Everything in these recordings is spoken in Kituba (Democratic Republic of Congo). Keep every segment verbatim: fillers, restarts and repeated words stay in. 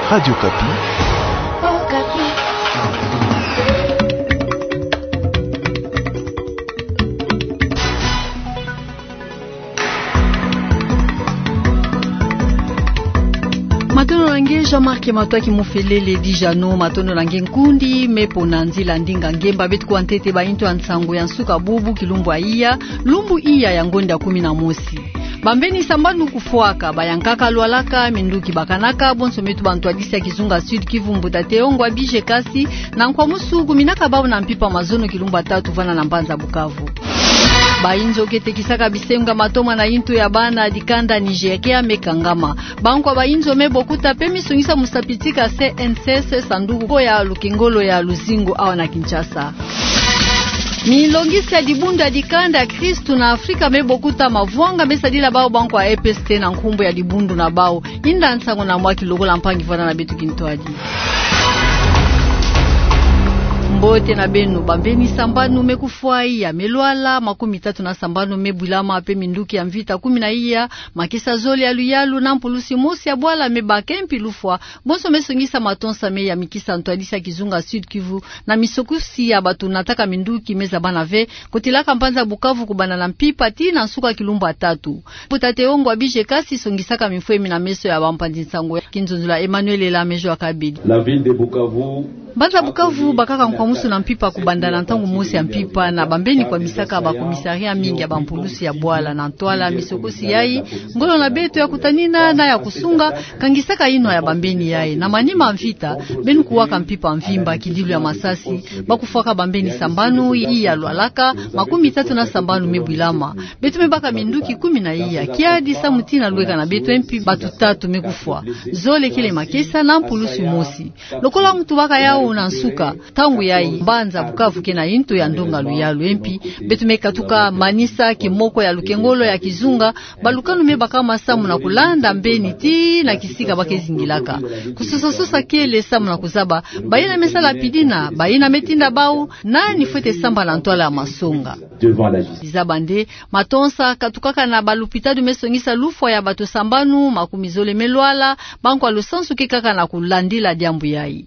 Radio Okapi. Matondo na nge Jean-Marc Matoaki Mufelele Dijano, matondo na nge nkundi me pona nzila ndinga ngemba beto kuwa ntete ba yintu ya nsangu ya nsuka bubu kilumbu ya iya, lumbu iya ya ngonda kumi na mosi. Bambeni sambanu kufwaka, bayankaka lwalaka, minduki bakanaka, bonso me tubâ ntwadisi ya kizunga Sud-Kivu Mbuta Théo Ngwabidje Kasi, na Nkwamusu kuminaka bau na mpimpa mazono kilumbu ya tatu vana na mbanza Bukavu. Bayinzo ke tekisaka bisengo ya matoma na yintu ya bana dikanda Nigeria me kangama. Bankwa bayinzo me bokuta pe misongisa musapitika C N C S sanduku ya lukengolo ya luzingu awa na Kinshasa. Milongisi ya dibundu ya dikanda ya Kristu na Afrika me bokuta mavwanga me sadila bau bankwa E P S T na nkumbu ya dibundu na bau. Yinda nsangu na mwa kilokola mpangi vwata na beto kintwadi. Mbote na beno, bambeni sambanu me kufwa iya, me lwala, makumi tatu na sambanu me bwilama pe minduki ya mvita kumi na iya, makesa zole ya luyalu na mpulusi mosi ya bwala me baka mpi lufwa, bonso me songisa matonsa me yamikisa ntwadisi ya kizunga Sud-Kivu, na misokosi ya bato nataka minduki me zabana ve, kotilaka mbanza Bukavu kubanda na mpimpa tii na nsuka kilumbu ya tatu. Mbuta Théo Ngwabidje Kasi songisaka mifwemi na meso ya bampanzi nsangu ya kinzonzolo ya Emmanuel Elamejua Kabedi. La ville de Bukavu. Mbanza Bukavu bakaka Nkwamusu na mpimpa kubanda na ntangu mosi ya mpimpa, na bambeni kwamisaka ba commissariat mingi ya bampulusi ya bwala na ntwala misokosi yayi. Ngolo na beto ya kutanina na ya kusunga, kangisaka yinwa ya bambeni yayi. Na manima mvita, beno kuwaka mpimpa mvimba, kidilu ya masasi, bakufwaka bambeni sambanu, iya lwalaka, makumi tatu na sambanu me bwilama. Beto me baka minduki kumi na iya, kiadi samu tii na lweka na beto mpi bato tatu me kufwa. Zole kele makesa na mpulusi mosi. Lokola muntu baka yau na nsuka, ntangu yayi, mbanza Bukavu ke na yintu ya ndonga luyalu mpi, beto me katuka manisa kimoko ya lukengolo ya kizunga, balukanu me bakama samu na kulanda mbeni tii na kisika ba ke zingilaka. Kusosa-sosa kele samu na kuzaba, bayina me sala pidina, bayina me tinda bau, nani fwete samba na ntwala ya masonga. Devant la justice. Dizaba nde, matonsa katukaka na balupitalu me songisa lufwa ya bato sambanu, makumi zole me lwala, bankwa lusansu ke kaka na kulandila diambu yayi.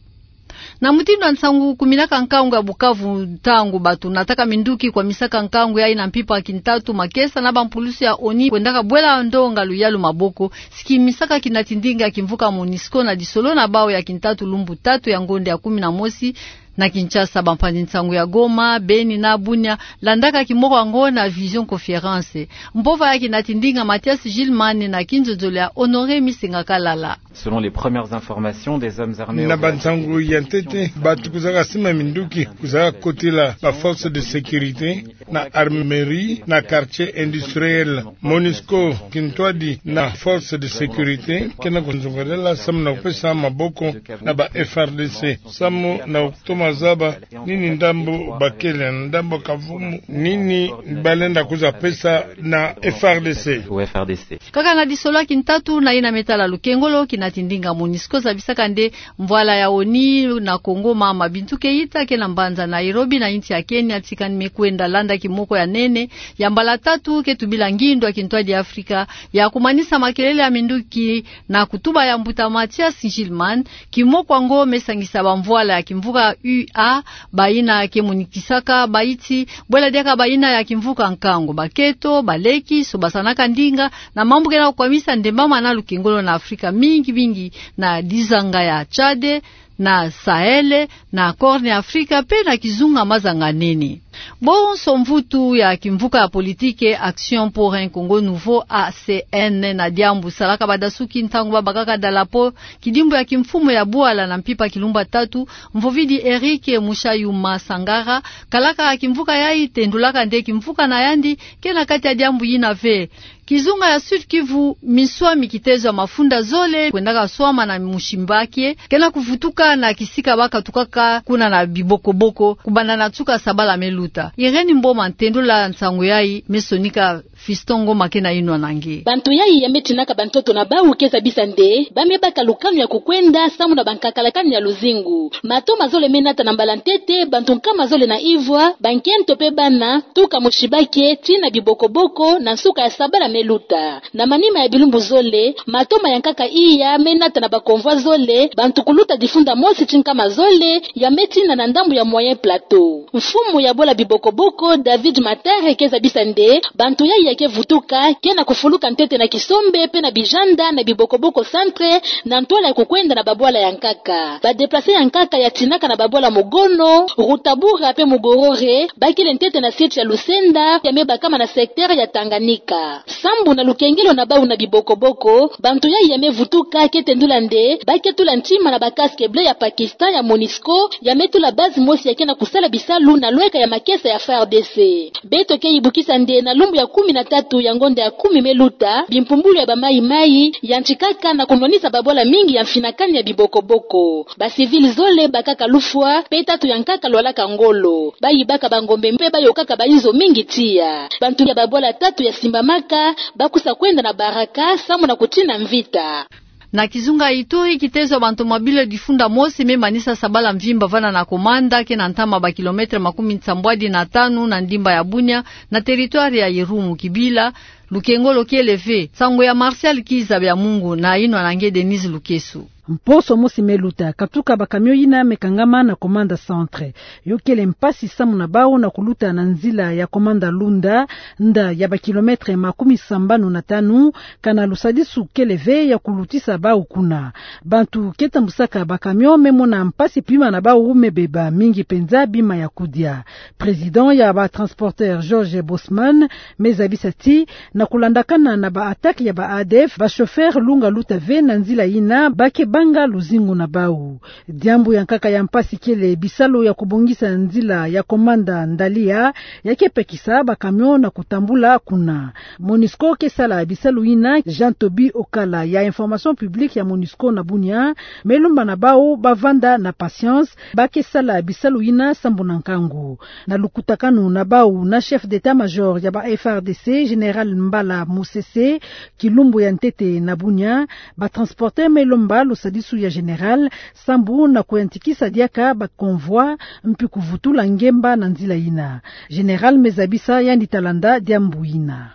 Na mutindu ya nsangu kuminaka nkangu ya Bukavu, ntangu bato nataka minduki kwamisaka nkangu yayi na mpimpa kintatu makesa na bampulusi ya ONU kwendaka bwela ndonga luyalu maboko, si kimisaka kinati ndinga ya kimvuka MONUSCO na disolo na bau ya kintatu lumbu tatu ya ngonda ya kumi na mosi, na Kinshasa, bampanzi nsangu ya Goma, Beni na Bunia landaka kimoko yango na visioconférence. Mpova ya kinati ndinga Mathias Gilman na kinzonzolo ya Honoré Misenga Kalala. Selon les premières informations, des hommes armés... Na bansangu ya ntete, bato kuzaka sima minduki, kuzaka kotila ba forces de sécurité na armerie, na quartier industriel. MONUSCO kintwadi na forces de sécurité ke na kuzongelela samu na kupesa maboko na ba F A R D C, samu na kutoma zaba nini ndambu bakele, ndambu kavumu, nini balenda kuza pesa na F A R D C. Kaka na disolo ya kintatu na yina me tala lukengolo, kinati ndinga MONUSCO zabisaka nde mvwala ya ONU na Congo, mama Bintou Keita, ke na mbanza Nairobi na insi ya Kenya, tikani me kwenda landa kimoko ya nene, ya mbala tatu, ke tubila ngindu ya kintwadi ya Afrika ya kumanisa makelele ya minduki na kutuba ya mbuta Mathias Gilman. Kimoko yango me sangisa bamvwala ya kimvuka U A, bayina ke monikisaka baiti, bwela diaka bayina ya kimvuka nkangu, baketo, baleki, sobasanaka ndinga, na mambu ke na kukwamisa ndembama na lukengolo na Afrika, mingi-mingi na dizanga ya Tchad, na Sahel, na Corne Africa, pe na kizunga mazanga nene. Bonso mvutu ya kimvuka ya politique Action pour un Congo Nouveau, A C N, na diambu salaka badasuki ntangu babakaka dalapo kidimbu ya kimfumu ya bwala na mpimpa kilumbu ya tatu, mvovidi Eric Mushayuma Sangara, kalaka kimvuka yayi tendulaka nde kimvuka na yandi ke na kati ya diambu yina ve. Kizunga ya Sud-Kivu, miswami kitezo ya mafunda zole kwendaka swama na mushimba kie, ke na kuvutuka na kisika bakatukaka kuna na bibokoboko, kubanda na nsuka sabala me luta. Irène Mboma, ntendula nsangu yayi, me sonika Fiston Ngoma ke na inwa na nge. Bantu yayi ya me tinaka bantoto na bawu ke zabisa nde ba me baka lukanu ya kukwenda samu na bankakalakani ya luzingu. Matoma zole me nata na mbala ntete, bantu nkama zole na ivwa, bankento pe bana, tuka mosi bake, tii na bibokoboko, na nsuka ya sabala me luta. Na manima ya bilumbu zole, matoma ya nkaka iya me nata na bakonvwa zole, bantu kuluta difunda mosi tii nkama zole, ya me tina na ndambu ya Moyen Plateau. Mfumu ya bwala bibokoboko, David Matere, ke zabisa nde bantu yayi ya ke vutuka ke na kufuluka ntete na Kisombe pe na Bijanda na bibokoboko centre, na ntwala ya kukwenda na babwala ya nkaka. Ba déplacés ya nkaka ya tinaka na babwala Mugono, Rutabaga pe Mugorore, bakele ntete na site ya Lusenda, ya me bakama na secteur ya Tanganyika. Sambu na lukengelo na bawu na bibokoboko, bantu yayi ya me vutuka ke tendula nde ba ke tula ntima na ba casque bleu ya Pakistan ya Monusco, ya me tula base mosi ya ke na kusala bisalu na lweka ya makesa ya F A R D C. Beto ke yibukisa nde na lumbu ya kumi na tatu ya ngonda ya kumi me luta, bimpumbulu ya ba mayi-mayi yantikaka na kunwanisa babwala mingi ya mfinakani ya bibokoboko. Ba civils zole bakaka lufwa, pe tatu ya nkaka lwalaka ngolo. Bayibaka bangombe mpe bayokaka bainzo mingi tiya. Bantu ya babwala tatu ya simbamaka, ba kusa kwenda na baraka, samu na kutina mvita. Na kizunga Ituri, kitezo ya bantomobile difunda mosi me manisa sabala mvimba vana na Komanda, ke na ntama ba kilomètre makumi nsambwadi na tanu na ndimba ya Bunia, na territoire ya Irumu. Kibila, lukengolo kele ve. Nsangu ya Martial Kiza Byamungu na inwa na nge Denise Lukeso. Mposo mosi me luta, katuka ba camion yina me kangama na Komanda Centre. Yo kele mpasi samu na bawu na kuluta na nzila ya Komanda Lunda, nda ya ba kilomètre makumi sambanu na tanu, kana lusadisu kele ve ya kulutisa bawu kuna. Bantu ke tambusaka ba camion me mona mpasi, bima na bawu me beba, mingi penza bima ya kudia. Président ya ba transporteurs, Georges Bosman, me zabisa ti, na kulandakana na ba attaque ya ba A D F, ba chauffeurs lunga luta ve na nzila yina, ba ke banga luzingu na bawu. Diambu ya nkaka ya mpasi kele bisalu ya kubongisa nzila ya Komanda Ndalia, ya ke pekisa ba camion na kutambula kuna. Monusco ke sala bisalu yina. Jean Toby Okala ya Information Publique ya Monusco na Bunia, me lomba na bawu ba vanda na patience, ba ke sala bisalu yina sambu na nkangu. Na lukutakanu na bawu na chef d'état-major ya ba F A R D C, Général Mbala Musese, kilumbu ya ntete na Bunia, ba transporteurs me lomba lusadisu ya général, sambu na kuyantikisa diaka ba convois, mpi kuvutula ngemba na nzila yina. Général me zabisa yandi ta landa diambu yina.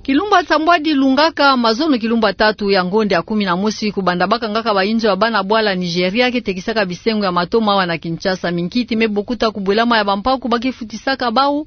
Kilumbu ya nsambwadi lungaka mazono kilumbu ya tatu ya ngonda ya kumi na mosi, kubanda ba kangaka bainzo ya bana bwala Nigeria ke tekisaka bisengo ya matoma awa na Kinshasa. Minkiti me bokuta kubwelama ya bampaku ba ke futisaka bawu.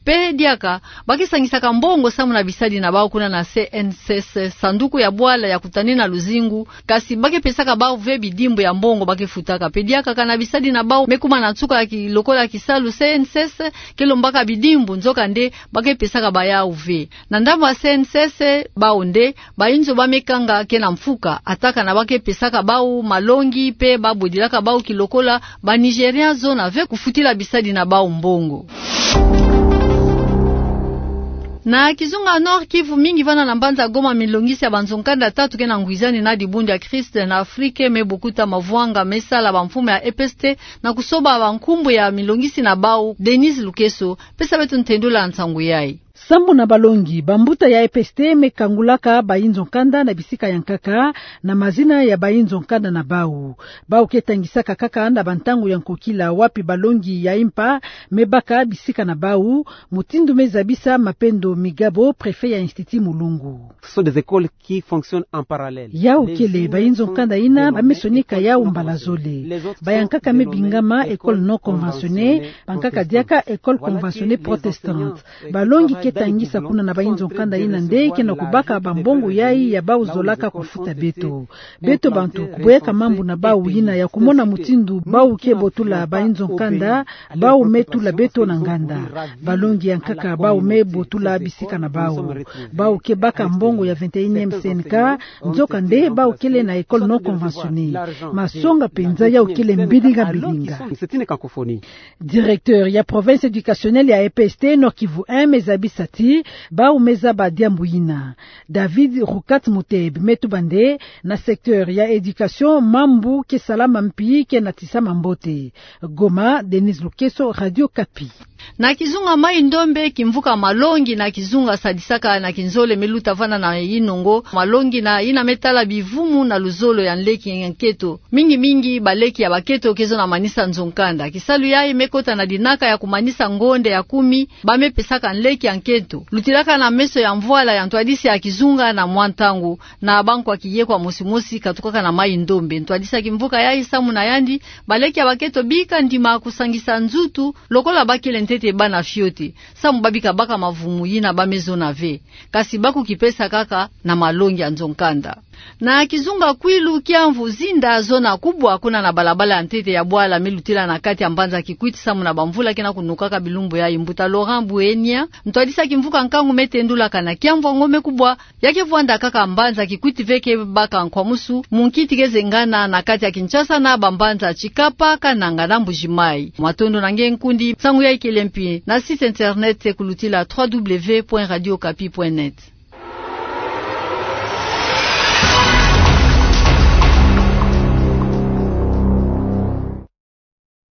Pe diaka, ba ke sangisaka mbongo samu na bisadi na bawu kuna na C N C C, sanduku ya bwala ya kutane na luzingu, kasi ba ke pesaka bawu ve bidimbu ya mbongo ba ke futaka. Pe diaka, kana bisadi na bawu me kuma na nsuka ya ki-, lokola kisalu, C N C C ke lombaka bidimbu, nzokande ba ke pesaka bayawu ve. Na ndambu ya C N C C, bawu nde bainzo ba me kanga ke na mfuka, ata kana ba ke pesaka bawu malongi, pe ba bodilaka bawu kilokola ba Nigériens zona ve kufutila bisadi na bawu mbongo. Na kizunga Nord-Kivu, mingi vana na mbanza Goma, milongisi ya banzo-nkanda tatu ke na ngwizani na dibundu ya Christ en Afrique me bokuta mavwanga me sala bamfumu ya E P S T na kusoba bankumbu ya milongisi na bawu. Denise Lukeso, pesa beto ntendula nsangu yayi. Sambu na balongi, bambuta ya E P S T me kangulaka bainzo-nkanda na bisika ya nkaka na mazina ya bainzo-nkanda na bawu. Bawu ke tangisaka kaka na bantangu ya nkokila, wapi balongi ya impa me baka bisika na bawu, mutindu me zabisa Mapendo Migabo, préfet ya Institut Mulungu. Ce sont des écoles qui fonctionnent en parallèle. Yawu kele bainzo-nkanda yina ba me sonika yawu mbala zole. Bayankaka me bingama école non conventionnée, bankaka diaka école conventionnée protestante. Balongi ke tangisa kuna na bainzo-nkanda yina nde ke na kubaka bambongo yayi ya bawu zolaka kufuta beto. Beto bantu, kuboyaka mambu na bawu yina ya kumona mutindu bawu ke botula bainzo-nkanda, bawu me tula beto na nganda. Balongi ya nkaka bawu me botula bisika na bawu. Bawu ke baka mbongo ya vingt et unième C N K, nzokande bawu kele na école non conventionnée. Masonga penza, yawu kele mbilinga mbilinga. Directeur ya province éducationnelle ya E P S T Nord-Kivu un me zabisi Sa ti, bau me zaba diambu yina. David Rukat Muteb me tuba nde, na secteur ya éducation, mambu ke sala mampi ke na tisa mambote. Goma, Denise Lukeso, Radio Okapi. Na kizunga Mai-Ndombe, kimvuka Malongi na kizunga sadisaka na kinzole me luta vana na yinongo Malongi na yina me tala bivumu na luzolo ya nleki ya nketo. Mingi mingi baleki ya baketo ke zona manisa nzo-nkanda. Kisalu yayi me kota na dinaka ya kumanisa ngonde ya kumi ba me pesaka nleki ya nketo. Lutilaka na meso ya mvwala ya ntwadisi ya kizunga na mwa ntangu, na bankwa kiye kwa mosi mosi katukaka na Mai-Ndombe. Ntwadisi ya kimvuka yayi samu na yandi, baleki ya baketo bika ndima kusangisa nzutu, lokola bakele ntete bana fioti, samu ba bika baka mavumu yina ba me zona ve. Kasi ba kukipesa kaka na malongi ya nzo-nkanda. Na kizunga Kwilu, kiamvu zinda zona kubwa kuna na balabala ya ntete ya bwala me lutila na kati ya mbanza Kikwit samu na bamvula ke na kunukaka bilumbu yayi. Mbuta Laurent Buenia, ntwadisi ya kimvuka nkangu, me tendulaka na kiamvu ya ngome kubwa ya ke vwanda kaka mbanza Kikwit ve, ke baka nkwamusu mu nkiti ke zengana na kati ya Kinshasa na bambanza Tshikapa, Kananga na Mbuji-Mayi. Matondo na nge nkundi, nsangu yayi kele mpi na site internet kulutila trois W point radio okapi point net.